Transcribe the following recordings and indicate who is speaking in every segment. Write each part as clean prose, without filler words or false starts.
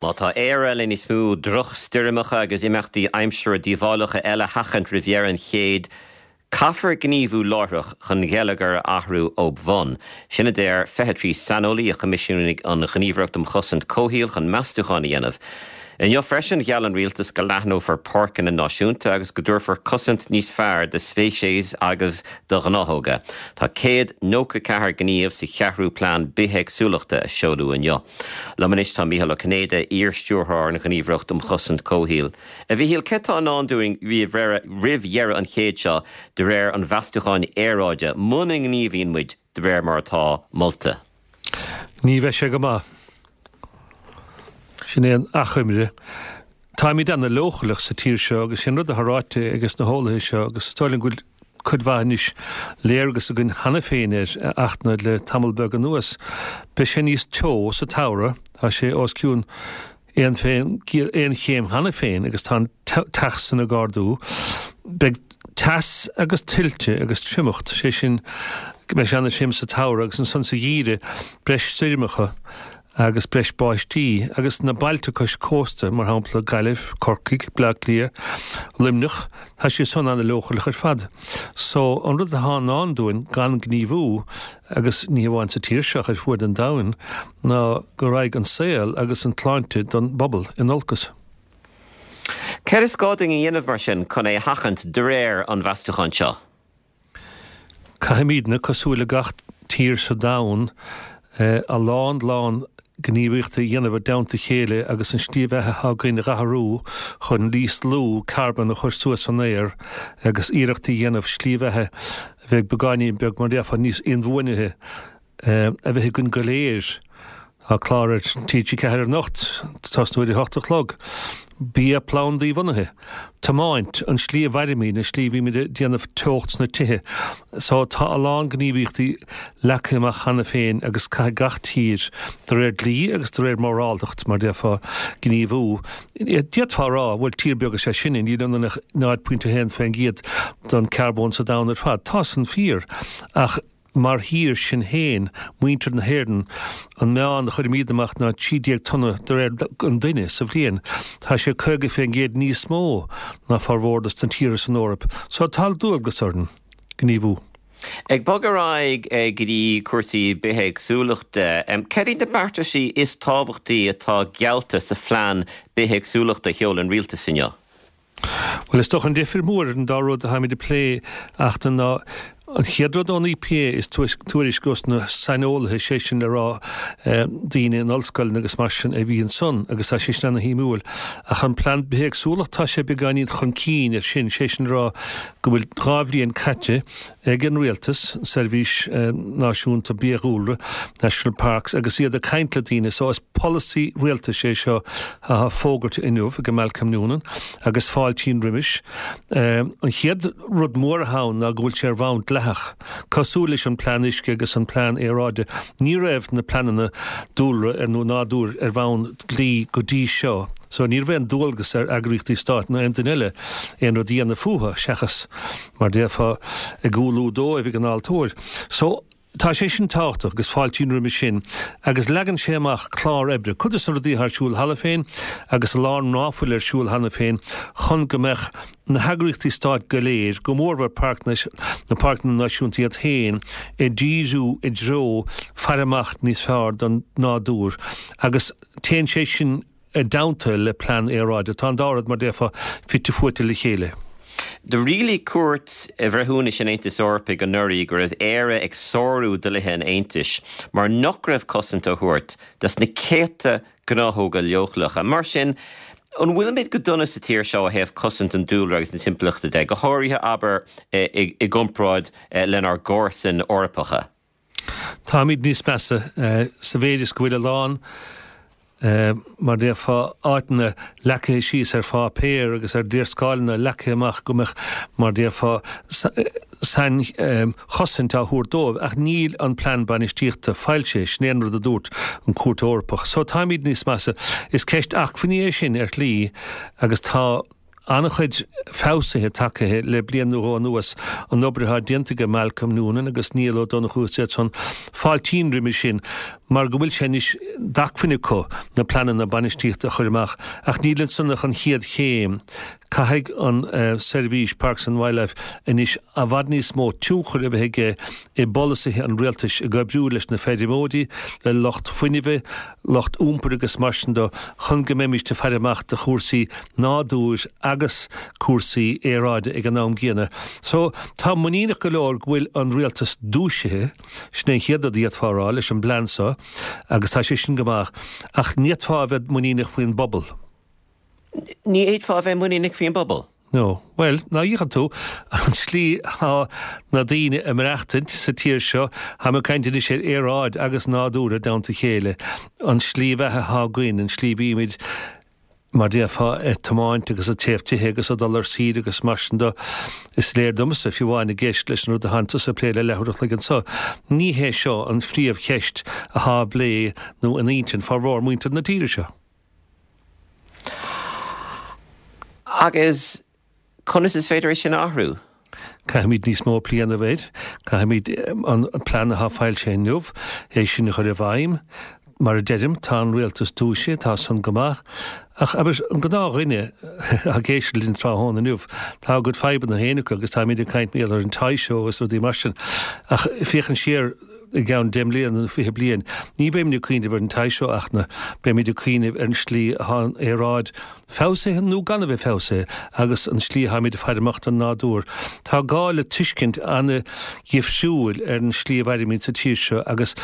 Speaker 1: Má tá Éire le níos mó drochstoirmeacha agus imeachtaí aimsire díobhálacha eile a sheachaint roimh dheireadh an chéid, caithfear gníomhú láithreach chun an geilleagar a athrú ó bhun. Sin a deir 23 saineolaí a choimisiúnaigh an Ghníomhaireacht um Chosaint Comhshaoil chun meastúchán a dhéanamh. Inniu freisin, gheall an rialtas go leathnófar páirceanna náisiúnta agus go dtabharfar cosaint níos fearr do speicis agus do ghnáthóga. Tá 194 gníomh sa cheathrú plean bithéagsúlachta a seoladh inniu. Liom anois tá Mícheál Ó Cinnéide, iar-stiúrthóir an Ghníomhaireacht um Chosaint Comhshaoil. A Mhíchíl, céard tá i ndán dúinn roimh dheireadh an chéid seo de réir an mheastúcháin aeráide, muna ngníomhaíonn muid de réir mar atá molta?
Speaker 2: Ní bheidh sé go maith. Sin é an achoimre. Táimid ana leochaileach sa tír seo agus sin rud atá ráite ages na heolaithe seo agus is dóigh liom go bhfuil cuid mhaith anois léargas againn cheana féin air a Fhachtna le tamall beag anuas. Beidh sé níos teo sa tsamhradh, tá sé os cionn aon chéim cheana féin agus tá an teach san ag ardú. Beidh teas agus tuilte agus triomacht, sé sin go mbeidh sé ana throm sa tsamhradh agus ansan sa gheimhreadh breis stoirmeacha. agus breis báistí, agus na bailte cois cósta, mar shampla Gaillimh, Corcaigh, Bleá Cliath, Luimneach, tá siad san ana-leochaileach ar fad. So, an rud atá i ndán dúinn gan gníomhú, agus ní hamháin sa tír seo ach ar fuaid an domhain, ná go raghaidh an saol agus an tsláinte don bpobal in olcas.
Speaker 1: Céard is gá dúinn a dhéanamh mar sin chun é a sheachaint de réir an mheastúcháin seo?
Speaker 2: Caithfimidne, cosúil le gach tír sa domhan, a lán lán gníomhaíochta a dhéanamh i dteannta a chéile agus an slí bheatha atá againn a dh'athrú chun níos lú carbón a chur suas san aer agus iarracht a dhéanamh slí bheatha a bheidh beagáinín beag, mar a déarfá, níos inbhuanaithe. a bheith againn go léir. Tá clár ar TG4 anocht, tosnú ar a hocht a chlog. Bia plandaí-bhunaithe. Tiomáint, an slí a mhairimid, an slí a bhímid ag déanamh teocht sna tithe. So tá a lán gníomhaíochtaí leagtha amach cheana féin agus caithfidh gach tír, de réir dlí agus de réir móráltacht, mar déarfá, gníomhú. D'fhéadfá a rá, bhuel tír beag is ea sinne, níl ionainn ach 0.1% den carbón sa domhan ar fad. Tá san fíor, ach Mar thír, sinn féin, muintir na hÉireann, an meán a chuirimid amach ná 13 tonna de réir an duine sa bhliain. Tá sé 50% níos mó ná formhór dos na tíortha san Eoraip. So tá dualgas orainn gníomhú.
Speaker 1: Ag bogadh ar aghaidh go dtí cúrsaí bithéagsúlachta, cad iad na beartaisí is tábhachtaí atá geallta sa phlean bithéagsúlachta a sheol an rialtas inniu?
Speaker 2: Bhuel, is dócha an difir mór idir an dá rud atáimid ag plé a Fhachtna ná an chéad rud ón EPA is tuairisc os na saineolaithe, sé sin le rá daoine in ollscoileanna agus mar sin a bhí ansan agus tá sé sin ana-shuimiúil. Ach an plean bithéagsúlacht tá sé beagáinín chun cinn ar sin, sé sin le rá go bhfuil 2 bhliain caite ag an rialtas, an Seirbhís Náisiúnta Biadhúlra, National Parks, agus iad ag caint le daoine. So is polasaí rialtais é seo atá fógartha inniu ag Malcolm Noonan agus fáiltím roimis. An chéad rud mór atá ann ná go bhfuil sé ar bhonn dleathach. Cosúil leis an plean uisce agus an plean aeráide, ní raibh na pleananna dúlra ar nó nádúir ar bhonn dlí go dtí seo. So ní raibh aon dualgas ar eagraíochtaí stáit ná aon duine eile aon rud a dhéanamh fúthu seachas mar déarfá, ag umhlú dóibh ag an altóir. So, tá sé sin tábhachtach agus fáiltím roimis sin agus leagann sé amach clár oibre, cuid de na rudaí atá ar siúl cheana féin agus a lán ná fuil ar siúl cheana féin chun go mbeadh na heagraíochtaí stáit go léir, go mórmhór na páirceanna náisiúnta iad féin, ag díriú i dtreo faire amach níos fearr don nádúr agus téann sé sin i dteannta le plean aeráide. Tá an dá rud, mar déarfá, fite fuaite le chéile.
Speaker 1: Do rialaigh Cúirt Bhreithiúnais an Aontais Eorpaigh anuraidh go raibh Éire ag sárú dlíthe an Aontais mar nach raibh cosaint á thabhairt dos na céadta gnáthóga leochaileacha. Mar sin, an bhfuilimid go dona sa tír seo ó thaobh cosaint an dúlra agus na timpeallachta de, go háirithe, abair, i gcomparáid lenár gcomharsain Eorpacha?
Speaker 2: Táimid níos measa sa mhéid is go bhfuil a lán, mar déarfá, áiteanna leagtha síos ar pháipéar agus ar léarscáileanna leagtha amach go mbeadh, mar déarfá, sainchosaint á thabhairt dóibh ach níl an plean bainistíochta foilsithe, sin é an rud a dúirt an Chúirt Eorpach. So táimid níos measa. Is ceist acmhainní é sin ar shlí agus tá. An-chuid feabhsuithe tagtha le bliain nó dhó anuas, an obair atá déanta ag Malcolm Noonan agus Niall Ó Donnchú is iad san. Fáiltím roimhe sin. mar go bhfuil sé anois d'acmhainn acu na pleananna bainistíochta a chur amach ach níl ansan ach an chéad chéim. Caithfidh an seirbhís Parks and Wildlife anois i bhfad níos mó tionchair a bheith aige i bpolasaithe an rialtais ag oibriú leis na feirmeoirí, le lucht fuinnimhe, lucht iompair agus mar sin de chun go mbeimíst ag faire amach do chúrsaí nádúir agus cúrsaí aeráide ag an am gcéanna. So, táim muiníneach go leor go bhfuil an rialtas dúisithe, sin é an chéad rud a d'fhéadfá a rá leis an bplean seo agus tá sé sin go maith, ach ní fhéadfá a bheith muiníneach faoin bpobal.
Speaker 1: Ní fhéadfá a bheith muiníneach faoin bpobal.
Speaker 2: No. Bhuel, ná fhéachann tú, an slí atá na daoine ag maireachtaint sa tír seo, táim ag caint anois ar aeráid agus nádúr i dteannta a chéile, an slí bheatha atá againn, an slí a bhímid, mar déarfá, ag tiomáint agus ag téamh tithe agus ag dul ar saoire agus mar sin de, is léir domsa, fiú amháin ag éisteacht leis an rud atánn tusa ag plé le leathuair a chloig anso, ní hé seo an phríomhcheist atá á bplé nó in intinn formhór muintir na tíre seo.
Speaker 1: Agus conas is féidir é sin a athrú?
Speaker 2: Caithfimid níos mó plé a dhéanamh air. Caithfimid an plean atá foilsithe inniu, é sin a chur i bhfeidhm. Mar a deirim, tá an rialtas dúisithe, tá san go maith. Ach, abair, an gnáthdhuine atá ag éisteacht linn tráthnóna inniu, tá a gcuid fadhbanna féin acu agus táimid ag caint mar gheall ar an Toy Show agus rudaí mar sin. Ach féachaint siar i gceann 10 mbliana nó 20 bliain, ní bheimid ag cuimhneamh ar an Toy Show ach na, beimid ag cuimhneamh ar an slí atá an aeráid feabhsaithe nó gan a bheith feabhsaithe agus an slí atáimid ag faire amach don nádúr. Tá gá le tuiscint an-dhifriúil ar an slí a mhairimid sa tír seo agus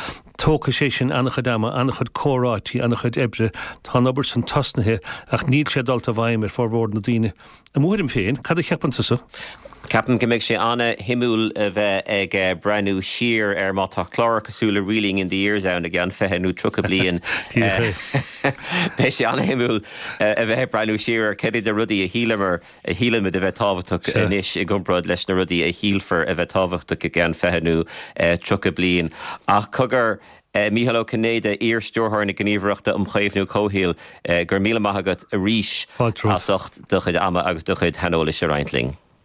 Speaker 2: tógfaidh sé sin an-chuid ama, an-chuid comhráití, an-chuid oibre. Tá an obair san tosnaithe ach níl sé dulta i bhfeidhm ar formhór na daoine. I mo thuairim féin, cad a cheapann tusa?
Speaker 1: Ceapaim go mbeidh sé an-shuimiúil a bheith ag breathnú siar ar má tá clár cosúil le Reeling in the Years ann i gceann 20 nó 30 bliain. Beidh sé an-shuimiúil a bheith ag breathnú siar ar cad iad na rudaí a shíleamar, a shílimid a bheith tábhachtach anois i gcomparáid leis na rudaí a shílfear a bheith tábhachtach i gceann 20 nó 30 bliain. Ach cogar, Mícheál Ó Cinnéide, iar-Stiúrthóir na Gníomhaireachta um Chaomhnú Comhshaoil, go raibh míle maith agat arís as ucht do chuid ama agus do chuid shaineolais a roinnt linn.